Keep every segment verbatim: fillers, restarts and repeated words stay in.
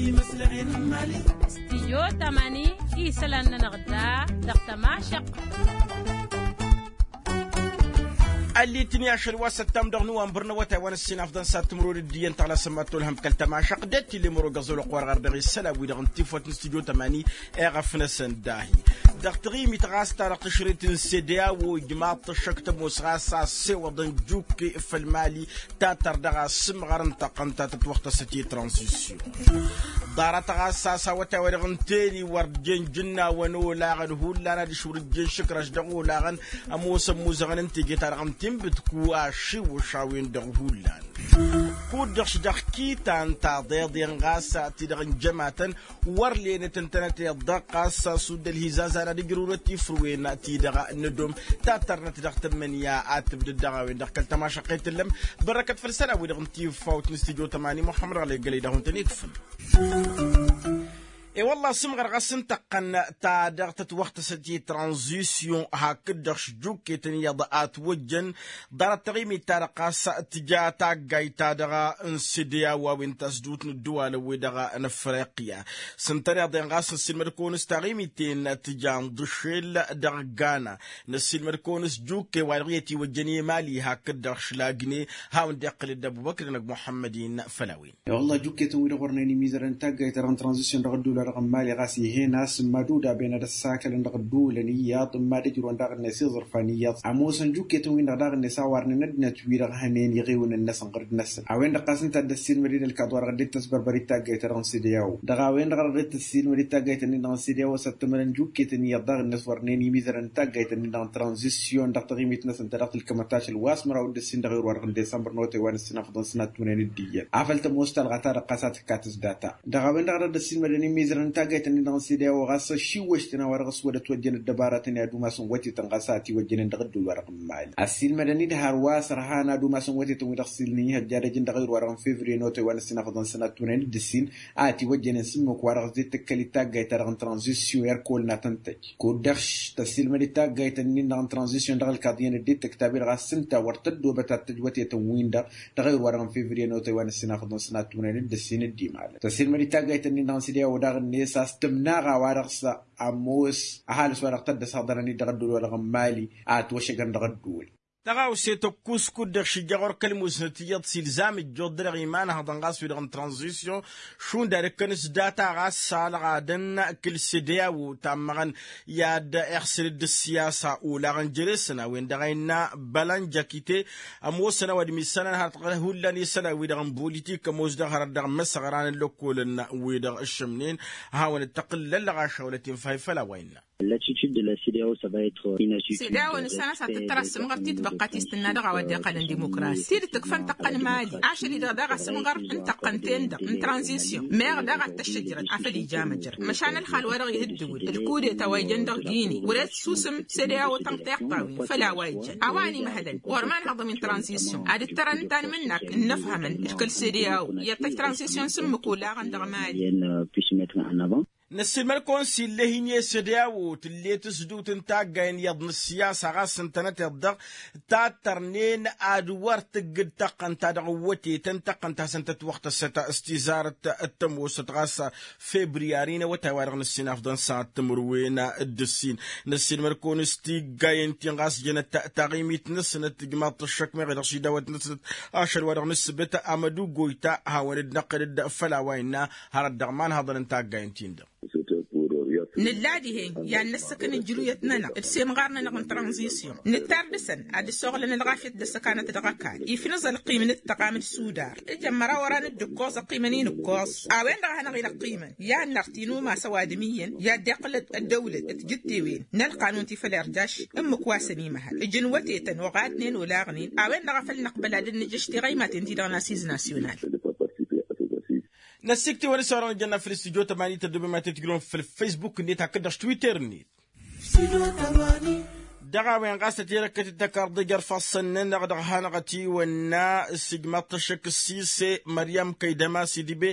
Studio tămani isălan-nănăɣ da dăɣ-tămašăq. Ăllit-ni ašăl wa săttam dăɣ-nuwănbăr n-awătay wa n-ǝssin afḍăn s-ad-timǝrwen d-iyyăn taɣlasăn mad-tolhăm kăl-tămašăq d-ăttilem ărogăẓ olăqqor ɣar dăɣ-isălan-wi-dăɣ n-tifwăt n-studio tămani. Eɣăf-năsăn dahi dăɣ-taɣimit ɣas ta dăɣ-tǝšrit n-sedeya wa ijmaḍ-t ăššăk tămoos ɣas a ăssewăḍăn jukke făll-mali. Tattăr dăɣ-asǝmɣăr n-taqqăn ta tătwăɣtăsăt i-tranzisyon ḍarăt ɣas a-s awătay wa dăɣ-ǝnta eni wăr jen jǝnnawăn olaɣăn hullan ad-išwǝr ǝjjen šǝkraš dăɣ-olaɣăn. Ămoosăn muzăɣăn n-teje-ta-dăɣ n-tinbǝtku ašiwǝš a-wen-dăɣ hullan. Kud-dăɣ-š dăɣ-kitan taḍeḍen ɣas ti-dăɣ n-jămatăn wăr lenăt ǝntănăteḍ-dăɣ ɣas a-s udd ălhizazan ad-ǝjrǝwrăt ifrǝwen-ti-dăɣ n-ădom. Tattărnăt dăɣ-tǝmmǝnǝya ad-tǝbdǝd dăɣ-a-wen-dăɣ kăl-tămašăqqe tǝllăm. Bărrăkăt făll-isălan-wi-dăɣ n-tifawt n-stujo tămani muḥămmăd ɣlăy gălăy dăɣ-hun-tăn-ikfǝn. E-wălla asǝmɣăr ɣas n-tăqqăn ta dăɣ-tătwăɣtăsăt i-tranzisyon hakd-dăɣ šjukketăn iyyăḍ a ătwăjjăn. Ḍarăt taɣimit-ta-dăɣ ɣas tǝja taggayt-ta-dăɣ n-sedeya wa wen tasdut n-ǝddǝwalăn-wi-dăɣ n-afriqya. S-ǝntăneḍ-en ɣas năssiilmăd-kăwăn s-taɣimit-en tǝja n-ḍǝšel dăɣ-gana. Năssiilmăd-kăwăn s-jukke wa dăɣ-i ătiwăjjăn i-mali hakd-dăɣ šlagǝne. Hawăn-dd-iqqǝl-dd ăbubăkr-năg muḥămmăd-in făll-a-wen. Wălla jukketăn-wi-dăɣ wărnen imizărăn taggayt-ta-dăɣ n-tranzisyon dăɣ-ădduul-wa-dăɣ n-mali ɣas ih'-en a-s n-mad-udaben ad-ăssakălăn dăɣ-ădduulăn iyyăḍ n-mad-ǝjrǝwăn daɣ-net iẓǝrfan iyyăḍ. Ămoosăn jukketăn-win-dăɣ daɣ-net a warnen ăddinăt wi-dăɣ hănen iɣewnăn-năsăn ɣǝrǝd-năsăn a-wen-dăɣ ɣas ǝnta a dd-ăssiilmăd-dd ălkaḍ wa dăɣ-dd-tăsbărbăr i-taggayt-ta-dăɣ n-sideyaw dăɣ-a-wen-dăɣ a dăɣ-dd-tăssiilmăd i-taggayt-ǝnnin-dăɣ n-sideyaw a-s ăttămărăn jukketăn iyyăḍ daɣ-net wărnen imizărăn n-taggayt-ǝnnin-dăɣ n-tranzisyon dăɣ-taɣimit-năsăn ta dăɣ-tǝlkămăt ašăl wa s-măraw d-ǝssin dăɣ-irwa-dăɣ n-disămbăr n-otay wa n-ǝssin afḍăn s-inattunen d-iyyăn afăl tămoos talɣa ta dăɣ-ɣas a tǝkkat s-data. Dăɣ-a-wen-dăɣ a dăɣ-dd-ăssiilmădăn imizărăn n-taggayt-ǝnnin-dăɣ n-sideyaw ɣas ăššiwwăš-tăn a-wa dăɣ-s wăr ătwăjjăn ăddăbaratăn i-ad-umasăn wătetăn ɣas a ătiwăjjănen dăɣ-ădduul-wa-dăɣ n-mali ăssiilmădăn-dd har wa s-ărhan ad-umasăn wătetăn wi dăɣ-s ilnǝy ihăjjadăjăn dăɣ-ayǝr-wa-dăɣ n-fevriye n-otay wa n-ǝssin afḍăn sănat tunăyăn d-ǝssin a ătiwăjjănen s-ǝmmǝk wa dăɣ-s dd-tǝkkăl i-taggayt-ta-dăɣ n-tranzisyon i-ărkol n-ad-tăn-tăj. Kud-dăɣ tăssiilmăd-dd taggayt-ǝnnin-dăɣ n-tranzisyon dăɣ-ǝlkaḍ iyyăn ăddinăt tǝktab-i-dăɣ a-s ǝnta wăr tăddoobăt ad-tăj wătetăn-win-dăɣ dăɣ-ayǝr-wa-dăɣ n-fevriye n-otay wa n-ǝssin afḍăn sănat tunăyăn d-ǝssin d-imala tăssiilmăd-dd taggayt-ǝnnin-dăɣ n-sideya wa daɣ-net a-s tǝmnaɣa wa dăɣ-s ămoos ăhalǝs wa dăɣ-tăddăs haḍărăn-dd dăɣ-ădduul wa dăɣ-n mali. Ad-twăššăgăn dăɣ-ădduul. Tăɣawse tăkkus kud-dăɣ šǝjja ɣur-kăl-musnăt iyyăḍ s-ilzam ǝjjuḍ-dăɣ imanhăḍăn ɣas wi-dăɣ n-tranzisyon šund ad-ǝkkăn s-data ɣas s-alɣadăn kǝl-sedeya u-tammăɣăn i-ad-iɣsǝl-dd ǝssiyasa olaɣăn jere-săn a-wen-dăɣ a innă bălăn jăkite. Ămoosăn a-wa dd-missănăn hărăt hullan isălan-wi-dăɣ n-bulitik ămoos dăɣ-hărăt dăɣ-imăsăɣran n-lăkkolăn-wi-dăɣ ǝššǝmnen. Hawăn-dd-tăqqǝl lăllăɣaš a wălăt-in fahǝy făll-a-wa innă. Sedeya-wăn isănăs ad-tǝttăr asǝmɣăr titbăqqa ti s-tǝnna dăɣ-a-wa dd-iqqălăn dimukras tidǝt ǝkfăn tăqqăn mali ašăl-i-dăɣ daɣ asǝmɣăr n-tăqqăn-ten-dăɣ n-tranzisyon meɣ daɣ ad-t-ăššăjrăd afăl ija măjrăd măšan ălxal-wa-dăɣ ih' ǝddǝwǝl ǝlkudeta wa ijăn dăɣ-gini wăr-e tǝssusǝm sedeya-wo tănṭeɣt a-wen făll-a-wa ijăn a-wa ănimăhălăn ɣur-imanhăḍăn wi n-tranzisyon ad-ǝttărăn ǝnta n-imǝnnak ǝnnăfhămăn d-kăl-sedeya-wo i-ad-tăj tranzisyon s-ǝmmǝk olaɣăn dăɣ-mali. Năssiilmăd-kăwăn s-illa hin-e-sădeya-wo tǝlle tǝsdut n-taggayen iyyăḍ n-ǝssiyasa ɣas ǝntănăteḍ-dăɣ tattărnen ad-wăr tǝggǝd tăqqăn ta dăɣ-wătetăn tăqqăn ta săn tătwăɣtăsăt s-tizarăt d-tămoosăt ɣas febriyari n-awătay-wa-dăɣ n-ǝssin afḍăn s-ad-timǝrwen d-ǝssin. Năssiilmăd-kăwăn s-tiggayen-tin ɣas jănăt taɣimit-năsnăt tǝjmaḍ-t ăššăk meɣ i-dăɣ-s idawăt-năsnăt ašăl-wa-dăɣ n-ǝssǝbǝt amăduggoyta hawăn-dd-năqqǝl-dd făll-a-wa innă. Hărăt dăɣ-imanhăḍăn n-taggayen-tin-dăɣ. Nǝlla dihen i-ad-năssăkăn ǝnjǝluyăt-nănăɣ d-semɣar-nănăɣ n-tranzisyon nǝttar dăɣ-săn ad-dd-ăssoɣlăn ălɣafyăt d-ăssăkanăt dăɣ-ăkall. Ifnǝẓ ălqim n-ǝttăqam d-sudar ǝjăn măraw oran dd-ǝkkoẓ ăqqimăn-in ǝkkoẓ. A-wen-dăɣ a hanăɣ-ila ăqqimăn i-ad-nărti n-umas ăwadǝm iyyăn i-ad-iqqǝl ăddăwlăt d-tijǝttewen n-ălqanun ti făll-irjaš. Ǝmmǝk wa s-ănimăhăl ǝjǝn wătetăn oɣadnen olaɣnen a-wen-dăɣ a făl năqbăl ad-dd-nǝjăš tiɣăymaten-ti-dăɣ n-asiz nasyonal. Năssikt'-iwăn s-orăn ǝjănna făll-studyo tămani tăddobem ad-t-tǝjrǝwăm făll-facebook-net hakd-dăɣ s-twitter-net. Dăɣ-a-wen ɣas tăt-irăkkăt d-takarḍe jer-ifassăn-nănăɣ dăɣ-hanăɣ-ătiwănna s-ijmaḍ-t ăššăk s-sise măryăm kăydăma s-idbe.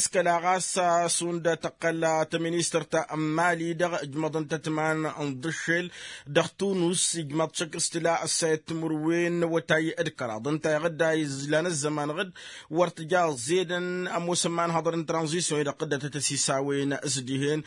S-kăla ɣas šund tăqqăl tăministărt n-mali-dăɣ ǝjmăḍăn-tăt iman n-iḍǝššel dăɣ-tunus ijmaḍ-t šăkk s-tǝla ăssayăt timǝrwen n-awătay d-kăraḍ ǝnta iɣǝdda izlan ăzzăman ɣǝd wăr tǝja ăẓẓedăn ămoosăn imanhăḍăr n-tranzisyon-i-dăɣ tǝdda tăt-ăsisawen s-dihen.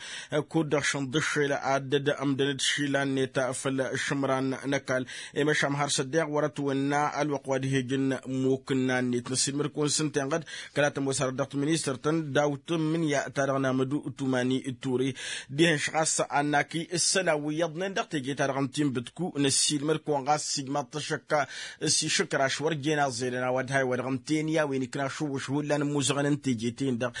Kud-dăɣ šănḍǝššel ad-dd-ămdăn-dd išilan-net făll-išǝmran n-ăkall i-măšan har s-ăddeɣ wăr-ătwănna ălwăqq wa d-ihejăn imukǝnna-net n-ăssiilmăd-kăwăn s-ǝnta inɣăd. Kăla tămoos arăt dăɣ-tiministărt-tăn daw-tǝmmǝnǝya-ta-dăɣ n-amădu tumani d-ture dihen-š ɣas a n-akǝy ǝssălan wi iyyăḍnen dăɣ-teje-ta-dăɣ n-tinbǝtku n-ăssiilmăd-kăwăn ɣas s-ijmaḍ-t ăššăk s-išǝkraš wăr jen aẓẓedăn a-wa d-hay-wa-dăɣ ǝnta-en i-a-wen ikna ašǝwwǝš hullan ămmuẓăɣăn n-teje-ten-dăɣ.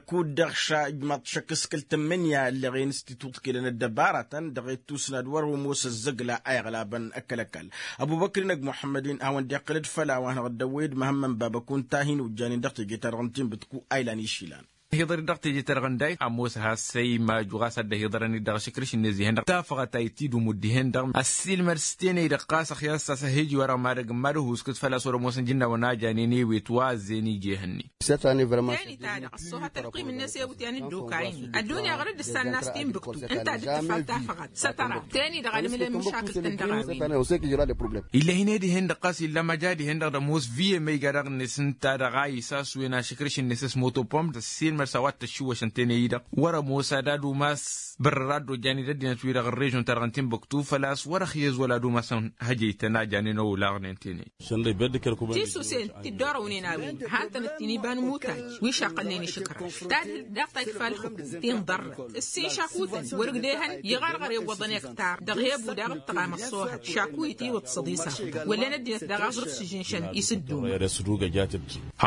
Kud-dăɣ ša ijmaḍ-t šăkk s-kăl-tǝmmǝnǝya ălleɣen s-titwǝḍkǝlăn ăddăbaratăn dăɣ-e d-tusnad wăr-omos ăzzăgla a iɣlabăn ăkall-ăkall. Ăbubăkr-in ăgg muḥămmăd-in hawăn-dd-iqqǝl d-făll-a-wa hanăɣ-dd-ăwwăy d-măhămmăn baba kunta a hin-ojjanen dăɣ-teje-ta-dăɣ n-tinbǝtku a ilan išlan. Hiḍăr-dd dăɣ-teje-ta-dăɣ n-day ămoos has-săy maju ɣas ad-dd-ăhiḍărăn-dd dăɣ-ašǝkrǝš-net dihen-dăɣ tafăɣăt a itidǝm wǝddihen-dăɣ ăssiilmăd s-tenăy-dăɣ ɣas ăxyas-t a-s ăhhij wăr-ămadăg n-mad-ăhuskǝd făl-a-s wăr-ămoosăn jǝnnawăn a janen ewet wa ăzzeyăn ija ehăn-i. Teni-ta-dăɣ ăṣṣoohăt ălqim-net i-awǝtyan dd-okaynen ăddunya ɣur-dd ǝssanna a-s tinbǝktu ǝnta a dd-tǝfal tafăɣat s-ătăra teni-dăɣ a dd-mǝlăn măšakǝl-tăn dăɣ-a-wen. Ill'-e hin-e dihen-dăɣ ɣas illa măja dihen-dăɣ d-ămoos viyem a iga daɣ-net ǝnta-dăɣ a isaswen ašǝkrǝš-net s-motopom d-ăssiilmăd s-a-wa t-ăššiwwăšăn teney-i-dăɣ wăr-ămoos ad-ad-umas bărrăr ad-dd-ojjan-dd ăddinăt-wi-dăɣ n-režyon-ta-dăɣ n-tinbǝktu făl-a-s wăr-ăxyăz wăla ad-umasăn hăjăy-tăn a janen olaɣnen teney. Tisǝsen ti dd-orăwnen a-wen han-tăn ǝttin iba n-imutaj wi šaqqălnen išǝkraš tadhǝlt daɣ ta ikfa ǝlxǝkum ti n-ḍarrăt ǝssin šakutăn wăr-ǝgdehăn iɣărɣăr iwwăḍăn i-ăktar dăɣ-hebu daɣ d-tăɣam ăṣṣoohăt šaku itiwǝḍ s-ăḍisafăḍăn wăllen ăddinăt daɣ aẓrǝf s-ižǝnšăn isǝddumăn.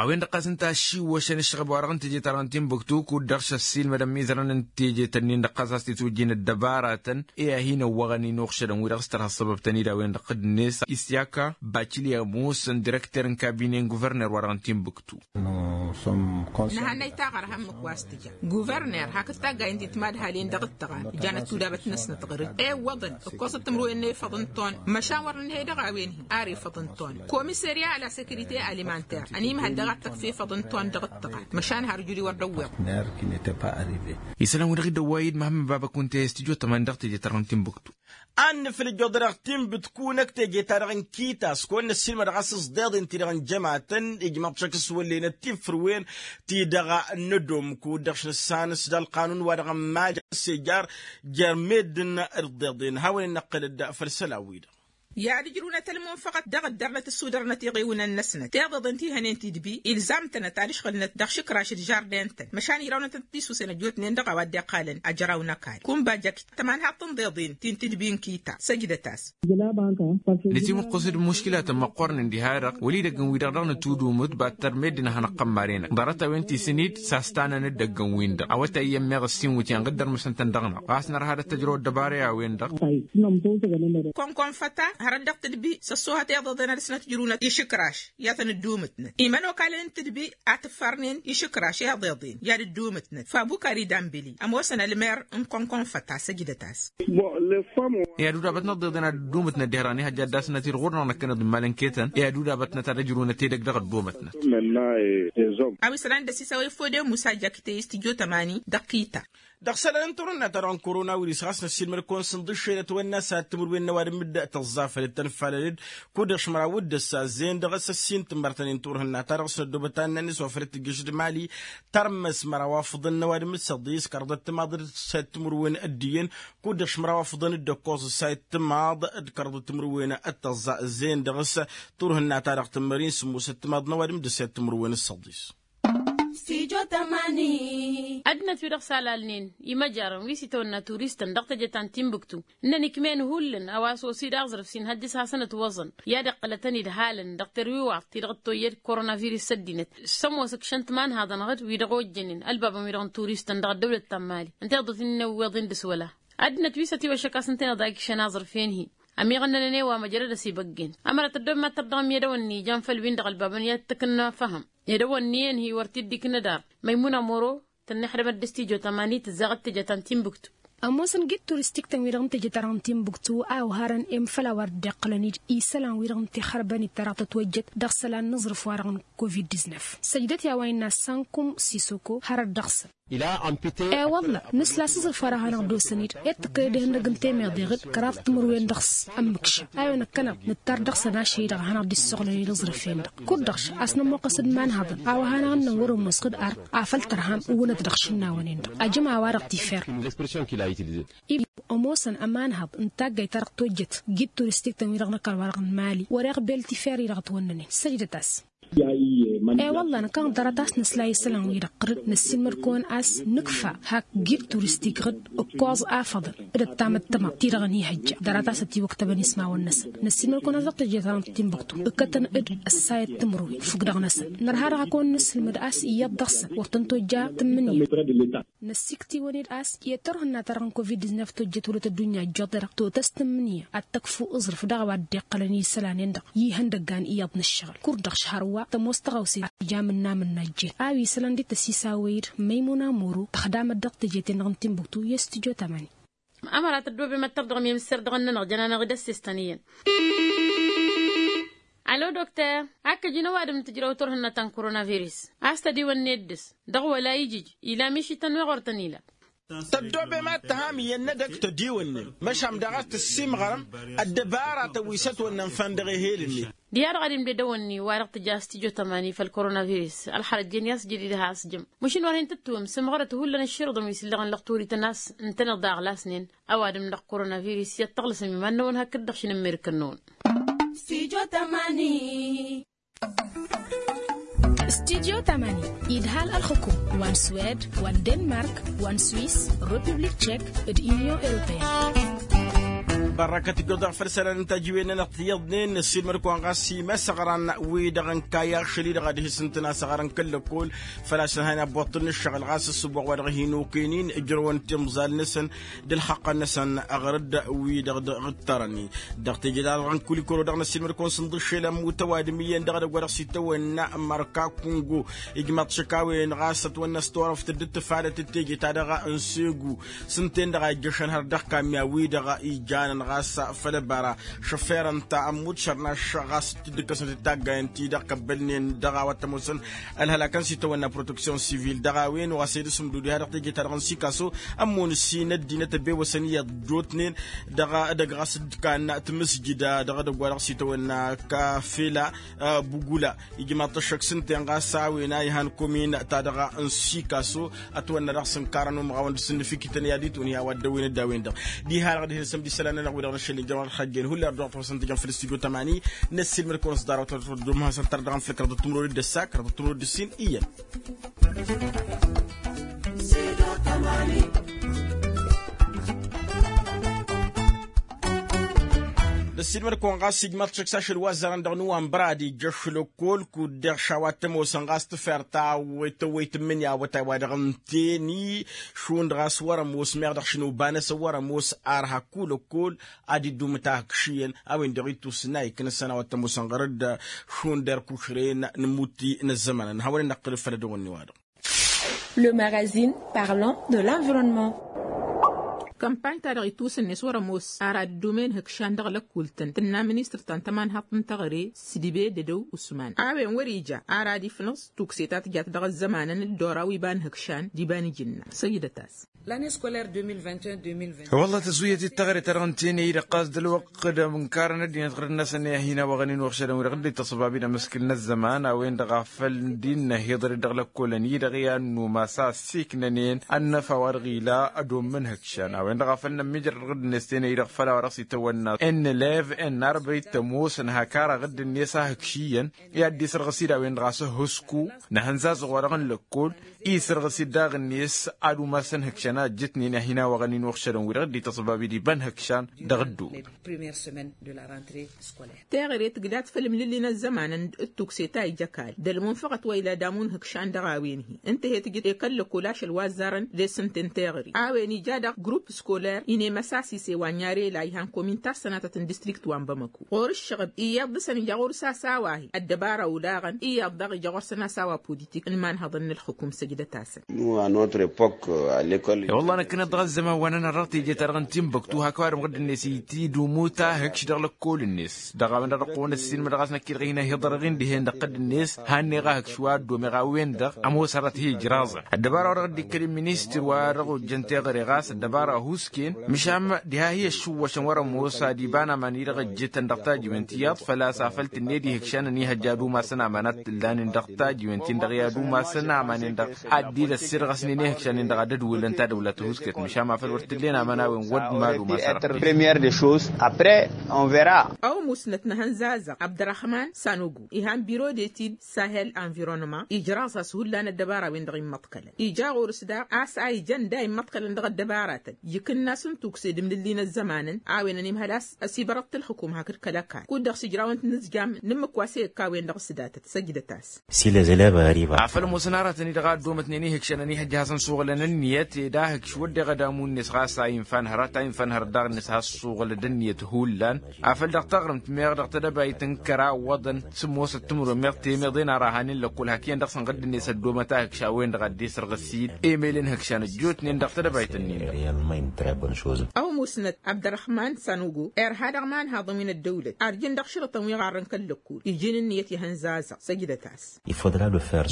A-wen-dăɣ ɣas ǝnta aššiwwăšăn ǝššăɣǝb-wa-dăɣ n-teje-ta-dăɣ n-tinbǝktu kud-dăɣ šăssiilmădăn imizărăn n-teje-tăn-in-dăɣ ɣas a-s titwǝjjin ăddăbaratăn i-ad-hin-ăwwăɣăn inuɣšădăn wi-dăɣ s-tărha ăssăbăb-tăn-dd a-wen-dăɣ dd-net isyaka bačilya ămoosăn direkter n-kabine n-guverner-wa-dăɣ n-tinbǝktu. Nǝhannăy taɣărha ǝmmǝk wa s-tǝja guverner hakd taggayen ti timadhalen dăɣ-dd-tăɣan ǝjanăt tudabăt-năsnăt ɣur-dd ewwăḍăn ǝkkoẓăt timǝrwen n-efăḍ n-ton măšan wăr nǝnhăy dăɣ-a-wen-hi ar efăḍ n-ton komiserya a la sekirite alimanter ănimhăl daɣ ad-tăkf efăḍ n-ton dăɣ-dd-tăɣan măšan har juri wăr dd-ăwweḍ. Isălan-wi-dăɣ dd-ăwway-dd măhămmăn baba kunta i-s tijot tăman dăɣ-teje-ta-dăɣ n-tinbǝktu. Ad-nǝflǝjjăḍ dăɣ-tinbǝtkun ăkk teje-ta-dăɣ n-kitas kăwăn-năssiilmăd ɣas ǝẓḍeḍen-ti-dăɣ n-jămatăn ijmăḍ šăkk s-wăllenăt tinfǝrwen-ti-dăɣ n-edom kud-dăɣ š-nǝssan s-dd-ălqanun-wa-dăɣ n-maj ăssejar jer-meddǝn d-ǝḍḍeḍen hawăn-in-năqqǝlăd făll-isălan-wi-dăɣ. I-ad-ǝjrǝwnăt ălmunfăɣăt dăɣ-ăddărnăt ǝssudărnăt iɣiwǝnăn-năsnăt tiḍeḍen ti hănen tidbi ilzam-tănăt ad-ǝšɣǝlnăt dăɣ-išǝkraš d-žardin-tăn măšan irawnăt-tăn tisusen ăjjootnen dăɣ-a-wa dd-iqqalăn ajraw n-ăkall kunba jăkk tămanhaḍt n-iḍeḍen ti n-tidbi n-kita săjdăt-as. Nătimǝqqǝs-dd muškilatăn măqqoornen diha-dăɣ wăla idăgg n-wi-dăɣ dăɣ-nǝtudumǝt battăr meddǝn a hanăɣ-tămmaren-năk ḍarăt-a-wen ti s-inid s-a-s tanăn-dd ăgg-ǝnwin-dăɣ awătay i-ămmeɣ ǝssin wǝtyan ɣǝddărmǝsăn-tăn dăɣ-năɣ ɣas nărha ad-ăttăjrăw ăddăbara i-a-wen-dăɣ. Kănk-ănfăta hărăt dăɣ-tǝdbi s-ăṣṣoohăt iḍeḍen ad-dăɣ-s nătjrǝwnăt išǝkraš i-ad-tăn-ǝddumǝtnăt imănokalăn n-tǝdbi a tǝffarnen išǝkraš iḍeḍen i-ad-ǝddumǝtnăt fabukar idambili ămoosăn ălmer n-kănk-ănfăta săjdăt-as. I-ad-udabătnăt ḍeḍen ad-ǝddumǝtnăt dihrani hăjja ad-dd-asnăt-dd ɣur-năɣ năkkăneḍ n-imalăn ketăn i-ad-udabătnăt ad-ăjrǝwnăt edăgg dăɣ-ăddumătnăt. A-wa isălan d-ăsisawăy fode musa jak teyǝs tǝjot ămani dăɣ-kita. Dăɣ-isălan n-turhǝnna-ta-dăɣ n-korona wirǝs ɣas năssiilmăd-kăwăn s-inḍǝššel ătwănna s-ad-timǝrwen n-ăwadǝm d-tăẓẓa făll-tănfalăl-dd kud-dăɣ šămăraw d-ăssazen dăɣ-s ăssin tǝmmărtănen turhǝnna-ta-dăɣ s-năddobăt ad-nănnes wa făll-tǝjjǝš d-mali. Tărmăs măraw afǝḍăn n-ăwadǝm d-săḍis kăraḍăt timaḍ d-săyăt timǝrwen d-iyyăn kud-dăɣ šămăraw afǝḍăn d-ăkkoẓ săyăt timaḍ d-kăraḍăt timǝrwen d-tăẓẓa ăzzeyăn dăɣ-s turhǝnna-ta-dăɣ tǝmmăr-in sǝmmosăt timaḍ n-ăwadǝm d-săyăt timǝrwen d-săḍis. Ăddinăt wi-dăɣ s-alalnen imăjarăn wi s-itawănna turistăn dăɣ-teje ta n-tinbǝktu ǝnnăn ikmen hullan a-wa s-osi d-aẓrǝf s-inhăjjăs hasăn-ătwăẓăn i-ad-iqqălătăn idhalăn dăɣ-terwiwaḍt-ti-dăɣ t-oyyăd koronavirus ăddinăt s-ămoos ǝkšăn timanhaḍăn ɣǝd-wi-dăɣ ojjănen ălbabăn-wi-dăɣ n-turistăn dăɣ-ăddăwlăt ta n-mali ǝnta iḍǝt-in-ăwweḍ-in dăɣ-s wăla. Ăddinăt wi s-ătiwăššăk a-s ǝnta-en ad-ikšăn aẓrǝf-en-hi ămiɣăn-nănăn i-wa măjrăd ăsibăggen ămărăt ăddommăt tăr dăɣ-ămmiedăwăn n-ijan făll-win-dăɣ ălbabăn i-ad-t-ǝknăn afăhăm edăwăn n-iyyăn-hi wăr t-dd-iknă dar. Măymuna moro tănnăyăxdămăt dăɣ-s tijot ămani tǝzzaɣăt teje ta n-tinbǝktu. Ămoosăn git turistik-tăn-wi-dăɣ n-teje-ta-dăɣ n-timbuktu a oharăn i-măfăl a-wa dd-iqqălăn-dd isălan-wi-dăɣ n-tixărbănit-ta-dăɣ tătwăjjăt dăɣ-isălan n-aẓrǝf-wa-dăɣ n-covid-disnăf. Săjdăt i-a-wa innă sankum sisoko hărăt dăɣ-săn. E-wălla nǝsla s-aẓrǝf-wa-dăɣ hanăɣ-dd-osăn-dd i-ad-tǝkkălăd ihăndăg n-temeḍeɣ-dd kăraḍ timǝrwen dăɣ-s ămmǝkša. A-wen ǝkkăneḍ nǝttar dăɣ-săn ašăl-i-dăɣ a hanăɣ-dd-issoɣlăn i-dd-aẓrǝf-en-dăɣ kud-dăɣ. A-s nămoqqăs d-imanhăḍăn a-wa hanăɣ-ǝnnăn wăr-ămoos ɣǝd ark afăl tărham ǝwwǝnăt dăɣ-išǝnnawen-en-dăɣ ajăm a-wa-dăɣ tifer. Ămoosăn ămanhăḍ n-taggayt-ta-dăɣ tojjăt gid turistik-tăn-wi-dăɣ n-ăkall-wa-dăɣ n-mali wăr-iɣbel tifer-i-dăɣ ătwănnănen săjdăt-as. E-wălla năkkăneḍ ḍarăt a-s nǝsla i-isălan-wi-dăɣ ɣǝr-dd năssiilmăd-kăwăn a-s nǝkfa hak gid turistik ɣǝr-dd ǝkkoẓ afăḍăn d-ăttamăttăma-ti-dăɣ ănihăjja. Ḍarăt a-s ătiwăktăbăn ismawăn-năsăn năssiilmăd-kăwăn a-s dăɣ-teje-ta-dăɣ n-timbuktu ǝkkătăn-dd ăssayăt timǝrwen fukk-dăɣ-năsăn. Nărha dăɣ-a kăwăn-nǝsǝlmăd a-s iyyăḍ dăɣ-săn wăr tăn-tojja tǝmmǝnǝya. Năssiktǝy-wăn-dd a-s i-ad-tărhǝn n-ad-tărhǝn covid-disnăf tojjăt wălăt ăddunya ăjjoḍ-i-dăɣ totăs tǝmmǝnǝya ad-tăkfu aẓrǝf dăɣ-a-wa dd-iqqălăn i-isălan-en-dăɣ. I-ihăndăggan iyyăḍ n-ǝššăɣǝl kud-dăɣ šăhar wa tămoos tăɣawse. Ija mǝnna-mǝnna ăjjeen a-wa isălan d-ităsisawăy-dd măymuna moro tăxdamăt dăɣ-teje-ten-dăɣ n-timbuktu i-stujo tamani. Ămăra tăddoobem ad-tărdăɣăm i-amǝsserdăɣ-nănăɣ jănanăɣ-dd ăssistăn iyyăn. Alo dokter, ad-kăjin ăwadǝm n-tǝjrăw turhǝnna ta n-koronavirus a-s tădiwănne dd-s dăɣ-wăla ijǝj ila mišităn weɣ wăr tăn-ila. Tăddoobem ad-tăham iyyăn n-edăgg tădiwănnem măšan daɣ a-s tǝssimɣărăm ăddăbaratăn wi s-ătwănnăn făll-dăɣ ehel-net. Diha-dăɣ ad-imded ăwănni wa-dăɣ tǝja s-tijo tămani făll-koronavirus ălxărăt jen i-asjădid ad-has-jăm. Măšin wăr hin-tǝttǝwăm sǝmɣărăt hullan ǝšširǝḍăn wi s-ǝllăɣăn lăxturităn a-s ǝntăneḍ daɣ lasnen. Ăwadǝm dăɣ-koronavirus i-ad-tăɣlăsăm iman-năwăn hakd-dăɣ šinǝmmerǝkăn-năwăn. Studio tamani. Studio tamani idhal ălxǝkum wa n-swed wa n-denmark wa n-swis, republik tšek d-inyon europeyăn. Bărrăkăt ǝjjoḍ-aɣ făll-isălan n-tajǝwen-nănăɣ tiyyăḍnen năssiilmăd-kăwăn ɣas imăsăɣran-wi-dăɣ n-kayy ašăl-i-dăɣ ad-hi-sǝntǝn asăɣar n-kăl-lăkkol. Făl-a-s ănhăyăn abboṭṭǝl n-ǝššăɣǝl ɣas ǝssǝboɣ wa dăɣ-hin-okăynen ǝjrăwăn timẓal-năsăn d-ǝlxăqqăn-năsăn ɣur-dd wi-dăɣ dd-ǝṭṭărăn. Dăɣ-teje-ta-dăɣ n-kulikuro dăɣ-năssiilmăd-kăwăn s-ǝnḍǝššel ămmut ăwadǝm iyyăn dăɣ-edăgg wa dăɣ-s itawănna mărka kungo. Ijmaḍ-t šăkawăyăn ɣas ătwănna s-turăft dd-tǝfadăt d-teje-ta-dăɣ n-segu s-ǝnta-en-dăɣ a ijjăšăn har dăɣ-kamya-wi-dăɣ ijanăn ɣas făll-ăbara šăffer ǝnta ămmut šărnaš ɣas t-dd-ǝkkăsnăt d-taggayăn-ti-dăɣ kăbbălnen dăɣ-a-wa t-ămoosăn. Ălhălak n-sitawănna proteksyon sivil dăɣ-a-wen wa s-ed-asǝmdud iha dăɣ-teje-ta-dăɣ n-sikaso ămmun ǝssin ăddinăt ăbewăsăn iyyăḍ dd-otnen dăɣ-edăgg ɣas dd-kanna tǝmǝsjǝd dăɣ-edăgg wa dăɣ-sitawănna kafela bugula. Ijmaḍ-t ăššăk s-ǝnta-en ɣas a-wen a ihan komin-ta-dăɣ n-sikaso ătwănna dăɣ-s ǝnkarăn umɣawăn d-sǝnnǝfikităn i-ad-itwǝn i-a-wa dd-ăwwen ăddawen-dăɣ. Diha-dăɣ dihen sămd isălan-nănăɣ wi-dăɣ n-ašăl n-ijrăw ălxăjjen hullan dăɣ-tăfăsăn tijăn făll-stujo tămani. Năssiilmăd-kăwăn s-ḍarăwăt ărdum hasăn tărdăɣăm făll-kăraḍăt timrăwăd d-ăssa kăraḍăt timrăwăd d-ǝssin iyyăn. Năssiilmăd-kăwăn ɣas ijmaḍ-t šăkk s-ašăl wa ăzzarăn dăɣ-nuwănbăr ad-ijjăš lăkkol kud-deɣ šawa t-ămoosăn ɣas tǝfer ta tăwwăyt tǝmmǝnǝya awătay wa dăɣ-ǝnta-en-i šund ɣas wăr-ămoos meɣ dăɣ-šin oba-năsăn wăr-ămoos ar hakku lăkkol. Ad-iddumǝt ahǝkš iyyăn a-wen-dăɣ ittus n-a iknăsăn a-wa t-ămoosăn ɣur-dd šund erk ušren n-imutti n-ăzzăman ănhawăn-in năqqǝlǝd făll-ădăwănni-wa-dăɣ. Le magazine parlant de l'environnement. Kămpany-ta-dăɣ itwǝsǝnnes wăr-ămoos ar ad-dd-umen ihǝkšan dăɣ-lăkul-tăn tǝnna ministăr ta n-tămanhaḍt n-teɣăre s-dibe dădăw usman a-wen wăr-ija ar ad-ifnǝẓ tukse ta tǝjat dăɣ-ăzzămanăn d-ora wi iba n-ihǝkšan d-iba n-ijǝnna săjdăt-as. L'année scolaire deux mille vingt et un deux mille vingt. Wălla tăzwǝyăt-dd teɣăre-ta-dăɣ ǝnta-en-i-dăɣ ɣas d-ălwăqq d-ănkarăn ăddinăt ɣur-dd-năsăn i-ad-hin-awăɣăn-in uɣšădăn wi-dăɣ dd-ităṣbab-dd amǝskǝl n-ăzzăman a-wen-dăɣ a făl dd-innă ihiḍăr-dd dăɣ-lăkkolăn-i-dăɣ i-ad-numas a ăssiiknănen ănnăfa wa dăɣ-ila ădomǝn ihǝkšan a-wen-dăɣ a făl nămmiijrăd ɣǝd-net ten-i-dăɣ făl a-wa dăɣ-s itawănna n-elev n-arbăy tămoosăn hak ara ɣǝd-net a hǝkš iyyăn i-ad-dd-isărɣǝs-dd a-wen-dăɣ a-s ăhhusku n-ahǝnzazăɣ wa dăɣ-n lăkkol. Isărɣǝs-dd daɣ-net ad-umasăn ihǝkšan a ăjjătnen ad-hin-awăɣăn-in uɣšădăn wi-dăɣ dd-ităṣbab-dd iba n-ihǝkšan dăɣ-ăddool. Teɣăre tǝgdat făll-imlǝlli n-ăzzămanăn d-tukse ta ija ăkall d-ălmunfăɣăt wa ila damu n-ihǝkšan dăɣ-a-wen-hi ǝnta he-tǝjǝt i-kăl-lăkkol ašăl wa ăzzarăn d-esǝnte n-teɣăre a-wen ija daɣ grupp scoler-i n-emăsasise wa n-yarela ihan komin ta s-sănatăt n-distrikt wa n-bamăko. Ɣur-ǝššăɣǝb iyyăḍ dăɣ-săn ija ɣur-s asawa-hi ăddăbara olaɣăn iyyăḍ daɣ ija ɣur-săn asawa politik n-imanhăḍăn n-ǝlxǝkum săjdăt-asăn. Nous à notre époque à l'école. I-wălla năkkăneḍ dăɣ-ăzzăman wa n-ănărrăɣ teje-ta-dăɣ n-timbăktu hak-wa-dăɣ măɣ dd-net itidumut a hǝkš dăɣ-lăkkol-net dăɣ-a-wen-dăɣ dăɣ-kăwăn-ăssinmăd ɣas năkk-i-dăɣ hin-ăhiḍărăɣ-in dihen dăɣ-tădd-net hanneɣ a hǝkš wa ăddomeɣ a-wen-dăɣ ămoos hărăt hi-ijraẓăn. Ăddăbara-wa-dăɣ dd-ikkăl i-ministăr wa dăɣ-ojjăn teɣăre ɣas ăddăbara a husken măšan diha hi-ăššǝwwăšăn wăr-ămoos ad-iba n-aman-i-dăɣ ăjjǝtăn dăɣ-tajiwen ti iyyăḍ făl-a-s afăl tǝnned ihǝkšan ănihăjja ad-umasăn aman ad-t-ǝllanen dăɣ-tajiwen-tin-dăɣ i-ad-umasăn aman-en-dăɣ ad-dd-ăssirɣăsnen ihǝkšan-en-dăɣ ad-ădwǝlăn tadăwla tăhusket măšan ma făl wăr t-ǝllen aman a-wen wăr mad-umasăn. Première de chose après on vera. Ăwmusnăt n-ehăn zazăɣ abdărăhman sanogo ihan biro de tid sahel environnement ijraẓ-as hullan ăddăbara-wen-dăɣ immăḍkălăn ija ɣur-s daɣ a-s a ijăn da immăḍkălăn dăɣ-ăddăbaratăn ikǝnna s-n-tukse d-imnǝlli n-ăzzămanăn a-wen ănimhăl a-s ăsibărăḍ-t ǝlxǝkum hakd kăl-ăkall kud-dăɣ s-ijrawăn-t n-ǝzjam n-ǝmmǝk wa s-e-ǝkka a-wen-dăɣ s-datăt săjdăt-as. Afăl ămoosăn aratăn-i-dăɣ a ăddoomătnen ihǝkšan ănihăjja a hasăn-suɣǝlăn ǝnniyăt ed ahǝkš wădden ad-amun-net ɣas a infa n-hărăt a infa n-hărăt daɣ-net has-suɣǝlăd ǝnniyăt hullan. Afăl dăɣ-taɣrǝmt meɣ dăɣ-tedăbayt n-kăra ǝwwăḍăn s-ămoosăt timǝrwen meɣ temeḍe n-ara hanen lăkkol hak iyyăn dăɣ-săn ɣǝddǝnet ăddoomăt ahǝkš a-wen-dăɣ ad-dd-esărɣǝs-dd emel n-hǝkšan ăjjootnen dăɣ-tedăbayt-nin-dăɣ. Ăwmusnăt abdărăhman sanugo irha dăɣ-imanhaḍăn wi n-ăddăwlăt arjǝn dăɣ-šărǝtăn wi ɣarrăn kăl-lăkkul iji n-ǝnniyăt ihăn zazăɣ săjdăt-as.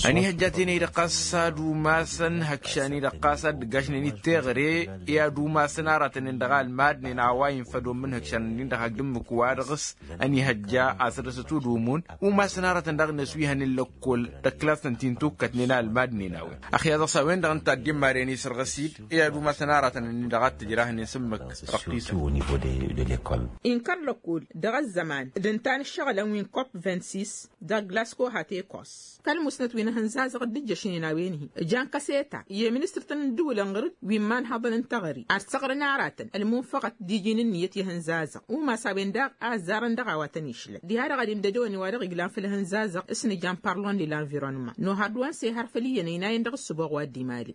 Ănihăjja tenăy-dăɣ ɣas ad-umasăn hăkšan-i-dăɣ ɣas ad-dd-ǝggajnen i-teɣăre i-ad-umasăn aratăn-en-dăɣ a ălmadnen a-wa infăd ommǝn hăkšan-nin-dăɣ hak d-ǝmmǝk wa dăɣ-s ănihăjja a săr-dăɣ s-ătudǝwǝmun umasăn aratăn daɣ-net wi hănen lăkkol d-ăkklasăn ti n-tukkătnen a ălmadnen a-wen. Ăxya dăɣ-s a-wen-dăɣ ǝnta a dd-immaren isărɣăs-dd i-ad-umasăn aratăn-nin-dăɣ a t-tǝjrahnen s-ǝmmǝk. Dăɣ-tisăt. Inkăr lăkkol dăɣ-ăzzăman d-ǝnta n-ǝššăɣǝlăn wi n-kop vint-sis dăɣ-glasko hat-ekos. Kăl-musnăt wi n-ehăn zazăɣ dd-ǝjjăšnen a-wen-hi ǝjan kăseta i-ministăr-tăn n-ǝddǝwǝlăn ɣǝr-dd wi n-imanhăḍăn n-teɣăre ad-săɣrăn aratăn ălmunfăɣăt d-iji n-ǝnniyăt i-ehăn zazăɣ umas a-wen daɣ a ăzzarăn dăɣ-a-wa tăn-išlăn diha-dăɣ ad-imdădăwăn i-wa-dăɣ iglan făll-ehăn zazăɣ s-nǝjan parlon de l-anvirănman nohăr d-wa n-sehăr făll-iyyăn ăynayăn dăɣ-ǝssǝboɣ wa dd-imali.